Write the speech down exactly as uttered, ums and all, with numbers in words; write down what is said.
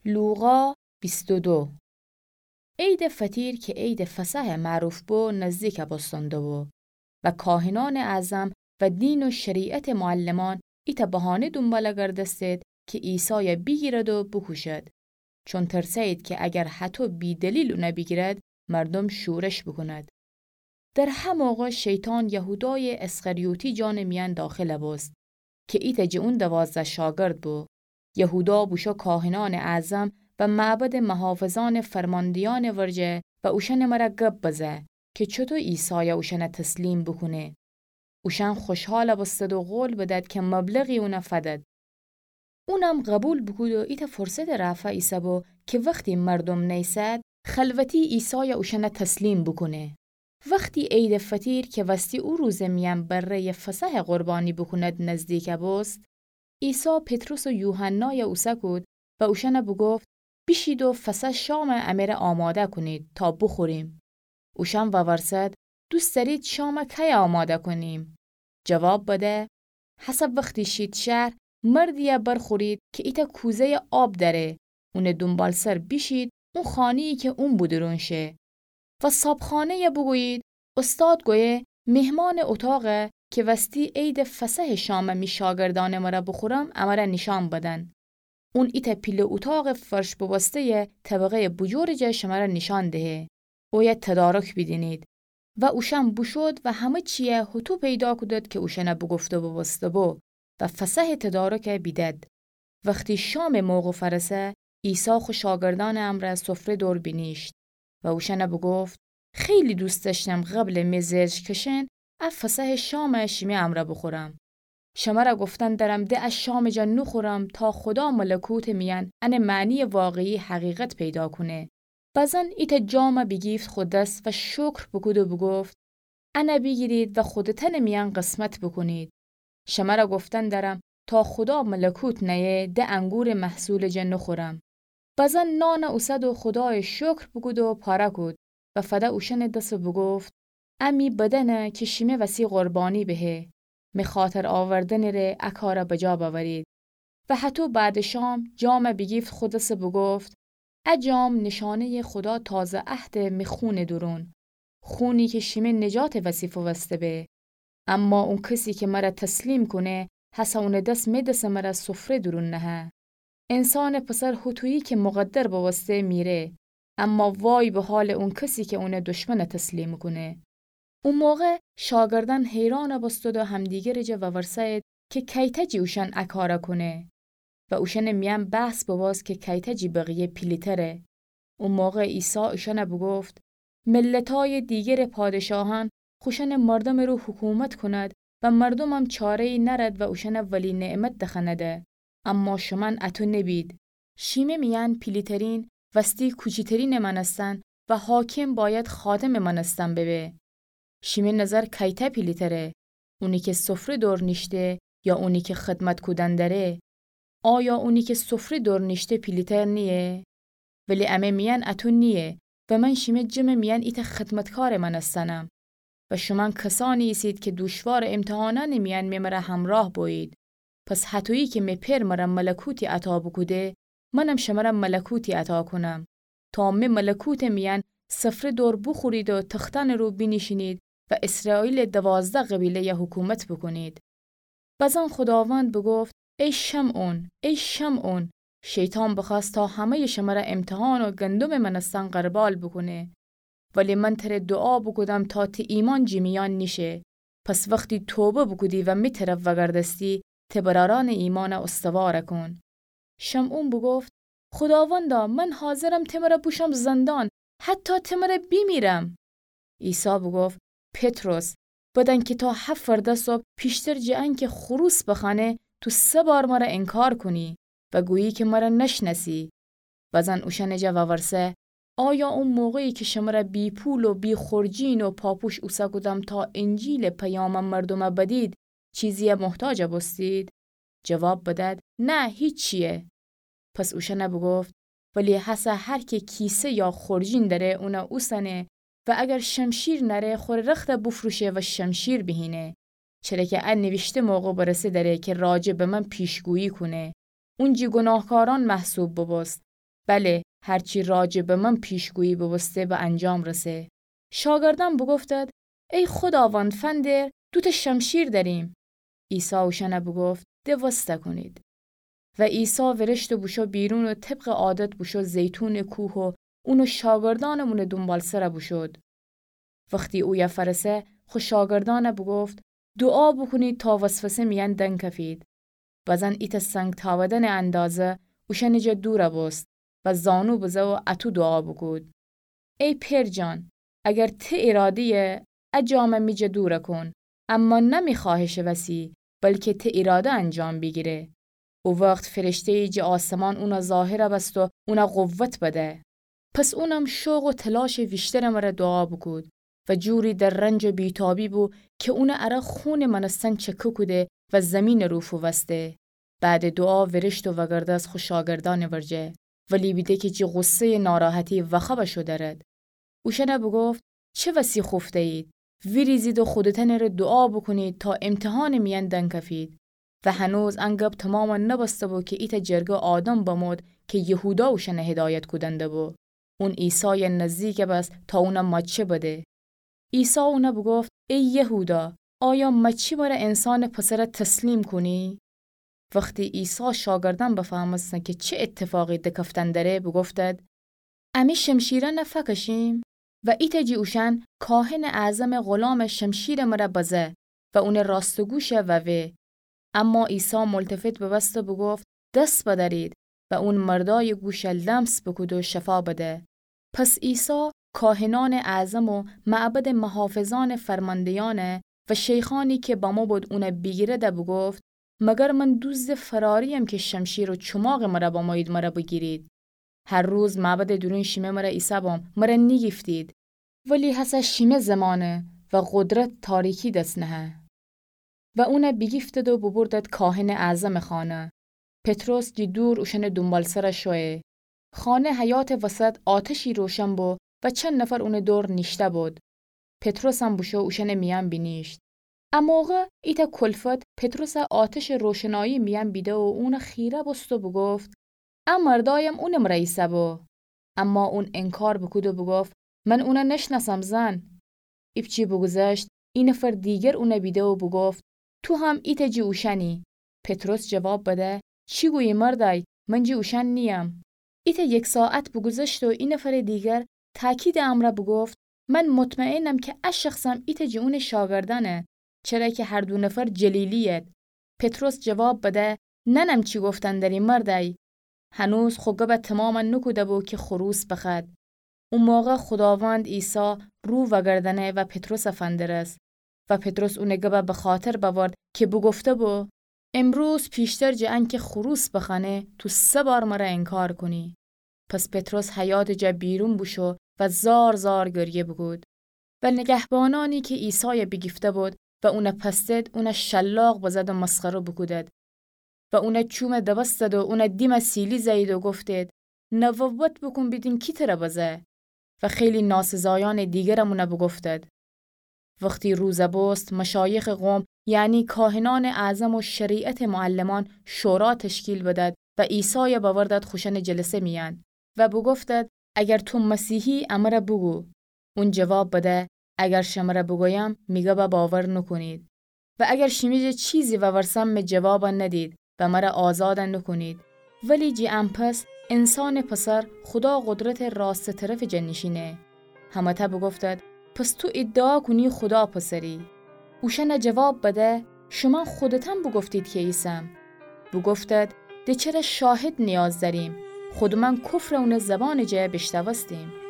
لوقا بیست و دو. عیدٚ فطیر کی عیدٚ فصحٚ معروف بو، نزدیک بوستن دوبو و کاهنأنٚ اعظم و دین و شریعتٚ معلمان ایتأ بهانه دونبال گردستید کی عیسای بیگیرد و بوکوشد، چون ترسه‌یید کی اگر هطو بی‌دلیل اون بیگیرد، مردوم شورش بوکوند. در ه موقع شیطان یهودایٚ اسخریوطی جانٚ میأن داخل بوست کی ایتأ جٚه اون دوازده شاگرد بو. یهودا بوشو کاهنأنٚ اعظم و معبدٚ محافظأنٚ فرماندهیأنٚ ورجه و اوشأنٚ مره گب بزه کی چوطو عیسای اوشأن تسلیم بوکونه. اوشأن خوشحال بوستد و قول بدد کی مبلغی اون فدد. اونم قبول بوکود و ایتأ فرصتٚ رأفا ایسه‌بو کی وختی مردوم نیسد، خلوتی عیسای اوشأن تسلیم بوکونه. وختی عیدٚ فطیر کی وستی او روزٚ میأن بره‌یٚ فصحٚ قربانی بوکوند نزدیک بوست، عیسی پطرس و یوحنای اوسه کود و اوشأن بوگفت: بیشید و فصحٚ شام امره آماده کونید تا بوخوریم. اوشأن وورسد: دوست دأرید شام کی آماده کونیم؟ جواب بده: هسه وختی شید شهر، مردیی برخورید کی ایتأ کوزه‌یٚ آب دأره، اونٚ دونبالسر بیشید اون خانه‌یی کی اون بودورون شه و صابخانه‌ی بوگویید: استاد گویه مهمانٚ اوطاق کی وستی عیدٚ فصحٚ شام می شاگردأنٚ مره بوخورم، امره نیشأن بدن. اون ایتأ پیله اوطاقٚ فرش بوبسته‌یٚ طبقه‌یٚ بوجورٚ جا شمره نیشأن دهه. اویه تدارک بیدینید. و اوشأن بوشود و همه چیی هوطو پیدا کودد کی اوشأن بوگفته بوبوسته‌بو و فصحٚ تدارک بیدد. وختی شامٚ موقع فأرسه، عیسی خو شاگردأنٚ امرأ سفره دور بینیشت و اوشأن بوگفت: خیلی دوست دأشتم قبلٚ می زئج کشئن ا فصحٚ شام شیمی امرأ بوخورم. شمر گفتن درم ده ا شامٚ جا نوخورم تا خودا ملکوتٚ میأن انٚ معنیٚ واقعی حقیقت پیدا کونه. بزن ایتأ جام بیگیفت خو دس و شکر بوکود و بوگفت: ان بیگیرید و خودتأنٚ میأن قسمت بوکونید. شمر گفتن درم تا خودا ملکوت نأیه ده انگورٚ محصولٚ جا نوخورم. بزن نان اوسد و خودایٚ شکر بوکود و پاره کود و فده اوشأنٚ دس و بوگفت: ا می بدنه کی شیمه وسی قربانی بهه. می خاطر آوردنٚ ره ا کار بجا بأورید. و هطو بعدٚ شام جام بیگیفت خو دس و بوگفت: ا جام نیشأنه‌یٚ خودا تازه عهدٚ می خونٚ دورون، خونی کی شیمه نجاتٚ وسی فووسته به. اما اون کسی کی مر تسلیم کونه، هسه اونٚ دس می دسٚ مر سفره دورون نهه. انسانٚ پسر هوطویی کی مقدر بوبوسته میره، اما وای به حالٚ اون کسی کی اون دشمن تسلیم کونه. او موقع شاگردأن حیران بوستد و همدیگرٚ جا وورسه‌یید کی کیتأ جی اوشأن ا کار کونه. و اوشأنٚ میأن بحث بوبوست کی کیتأ جی بقیه پیلی‌تره. او موقع عیسی اوشأن بوگفت: ملتأیٚ دیگرٚ پادشاهأن خوشأنٚ مردمٚ رو حکومت کند و مردمم چاره‌یی نأرد و اوشأن ولی نعمت دخنده. اما شومأن اطو نبید. شیمه میأن پیلی‌ترین وستی کوچی‌ترینٚ مأنستن و حاکم باید خادمٚ مأنستن ببه. شیمه نظر کیتأ پیلی‌تره؟ اونی کی سفره دور نیشته یا اونی کی خدمت کودن دره؟ آیا اونی کی سفره دور نیشته پیلی‌تر نییه؟ ولی امه میأن اطو نییه و من شیمه جمعٚ میأن ایتأ خدمتکارٚ مأنستنم. و شومأن کسأنی ایسید کی دوشوارٚ امتحانأنٚ میأن می مر همرأه بویید. پس هطویی کی می پئر مر ملکوتی عطا بوکوده، منم شمر ملکوتی عطا کونم، تا می ملکوتٚ میأن سفره دور بوخورید و تختأنٚ رو بینیشینید و اسرائیلٚ دوازده قبیله‌ی حکومت بوکونید. بزن خوداوند بوگفت: ای شمعون، ای شمعون، شیطان بخوأست تا همه‌یٚ شمر امتحان و گندمٚ مأنستن غربال بوکونه. ولی من تر دوعا بوکودم تا تی ایمأن جی میأن نیشه. پس وختی توبه بوکودی و می طرف وأگردستی، تی برأرأنٚ ایمأن استوار کون. شمعون بوگفت: خوداوندا، من حاضرم تی مر بوشم زندان، حتی تی مر بیمیرم. عیسی بوگفت: پطرس، بدن کی تا هفرده صبح پیشتر جٚه انکی خروس بخوأنه، تو سه بار مر انکار کونی و گویی کی مر نشنأسی. بزن اوشأنٚ جا وورسه: آیا او موقعی کی شمر بی‌پول و بی‌خورجین و پاپوش اوسه کودم تا انجیلٚ پیام مردوم بدید، چیزی محتاج بوستید؟ جواب بدد: نه، هیچیی. پس اوشأن بوگفت: ولی هسه هر کی کیسه یا خورجین دأره، اون اوسنه و اگر شمشیر نأره، خور رخت بوفروشه و شمشیر بیهینه. چره کی ا نیویشته موقع برسه دأره کی راجع به من پیشگویی کونه. اونجی گوناهکارأن محسوب بوبوست. بله، هر چی راجع به من پیشگویی بوبوسته به انجام رسه. شاگردأن بوگفتد: ای خوداوند، فندر، دوتأ شمشیر دأریم. عیسی اوشأنه بوگفت: ده وسته کونید. و عیسی ویریشت و بوشو بیرون و طبق عادت بوشو زیتونٚ کوه و اون و شاگردأنم اونٚ دونبالسر بوشود. وختی اویه فأرسه، خو شاگردأنه بوگفت: دوعا بوکونید تا وسوسه میأن دنکفید. بزن ایتأ سنگ تأودنٚ اندازه اوشأنٚ جا دور بوست و زانو بزه و اطو دوعا بوکود: ای پئر جان، اگر ته ایراده‌یه، ا جامه می جا دور کون، اما نه می خوأهشٚ وسی، بلکه ته ایراده انجام بیگیره. او وخت فرشته‌یی جٚه آسمان اونه ظاهر بست و اونه قوت بده. پس اونم شوق و تلاشٚ ویشترٚ مره دوعا بوکود و جوری در رنج و بیتابی بو که اونٚ اره خونٚ مأنستن چکه کوده و زیمینٚ رو فووسته. بعدٚ دوعا ویریشت و وگردست خو شاگردأنٚ ورجه، ولی بیده که جٚه غصه‌یٚ ناراحتی وخوأ بشو درد. اوشأنه بوگفت: چه وسی خوفته‌یید؟ ویریزید و خودتأنٚره دوعا بوکونید تا امتحانٚ میأن دنکفید. و هنوز ان گب تومام نبسته بو که ایتأ جرگه آدم بمود که یهودا اوشأنه هدایت کودن دبو. اون عیسایٚ نزدیک بس تا اونه ماچه بده. عیسی اونه بوگفت: ای یهودا، آیا ماچی مره انسانٚ پسر تسلیم کونی؟ وختی عیسی شاگردأن بفهمستن که چه اتفاقی دکفتن دره، بوگفتد: امی شمشیرأنه فکشیم؟ و ایتأ جٚه اوشأن کاهنٚ اعظمٚ غلامٚ شمشیرٚ مره بزه و اونٚ راستٚ گوشه ووه. اما عیسی ملتفت ببست و بوگفت: دس بدأرید. و اون مردایٚ گوشه لمس بوکود و شفا بده. پس عیسی کاهنأنٚ اعظم و معبدٚ محافظأنٚ فرمانده‌یأنه و شیخأنی که بمو بود اونه بیگیرده بوگفت: مگر من دوزدٚ فراریم که شمشیر و چوماغٚ مره بمویید مره بیگیرید؟ هر روز معبدٚ دورون شیمه مره ایسه‌بوم، مره نیگیفتید. ولی هسه شیمه زمانه و قدرت تاریکی دس نهه. و اونه بیگیفتد و بوبردد کاهنٚ اعظمٚ خانه. پطرس جٚه دور اوشأنٚ دونبالسر شویه. خانه حیاطٚ وسط آتشی روشن بو و چند نفر اونٚ دور نیشته بود. پطرسم بوشو اوشأنٚ میأن بینیشت. ا موقع ایتأ کلفت پطرسه آتشٚ روشنایی میأن بیده و اونه خیره بوست و بوگفت: ا مردایم اونٚ مره ایسه‌بو. اما اون انکار بوکود و بوگفت: من اونه نشنأسم زن. ایپچه بوگوذشت، ای نفر دیگر اونه بیده و بوگفت: تو هم ایتأ جٚه اوشأنی. پطرس جواب بده: چی گویی مردای؟ من جٚه اوشأن نییم. ایتأ یک ساعت بوگوذشت و ای نفرٚ دیگر تأکیدٚ امرأ بوگفت: من مطمئنم که ا شخصم ایتأ جٚه اونٚ شاگردأنه، چره که هر دو نفر جلیلی‌ید. پطرس جواب بده: نأنم چی گفتن دری مردای. هنوز خو گبه تومام نوکوده‌بو که خروس بخد. او موقع خوداوند عیسی رو وأگردأنه و پطرسه فندرست. و پطرس اونٚ گبه بخاطر بأورد که بوگفته‌بو: امروز پیشتر جٚه انکه خروس بخوأنه، تو سه بار مره انکار کونی. پس پطرس حیاطٚ جا بیرون بوشو و زار زار گریه بوکود. و نگهبانأنی که عیسای بیگیفته‌بود و اونه پستد، اونه شلاق بزد و مسخره بوکودد. و اونه چوم دبستد و اونه دیمه سیلی زأیید و گفتید: نوبت بوکون بیدین کی تره بزه. و خیلی ناسزایأنٚ دیگرم اونه بوگفتد. وختی روز بوست، مشایخٚ قوم، یعنی کاهنأنٚ اعظم و شریعتٚ معلمأن شورا تشکیل بدد و عیسای بأوردد خوشأنٚ جلسه میأن و بوگفتد: اگر تو مسیحی، امره بوگو. اون جواب بده: اگر شمره بوگویم، می گبه باور نوکونید. و اگر شیمی جا چیزی وورسم، می جوابه ندید و مره آزاد نوکونید. ولی جٚه ان پس انسانٚ پسر خودا قدرتٚ راستٚ طرفٚ جا نیشینه. همه‌تأ بوگفتد: پس تو ادعا کونی خودا پسری؟ اوشأنه جواب بده: شومأن خودتأن بوگفتید که ایسم. بوگفتد: ده چره شاهد نیاز دأریم؟ خودمأن کفر اونٚ زبانٚ جا بیشنوستیم.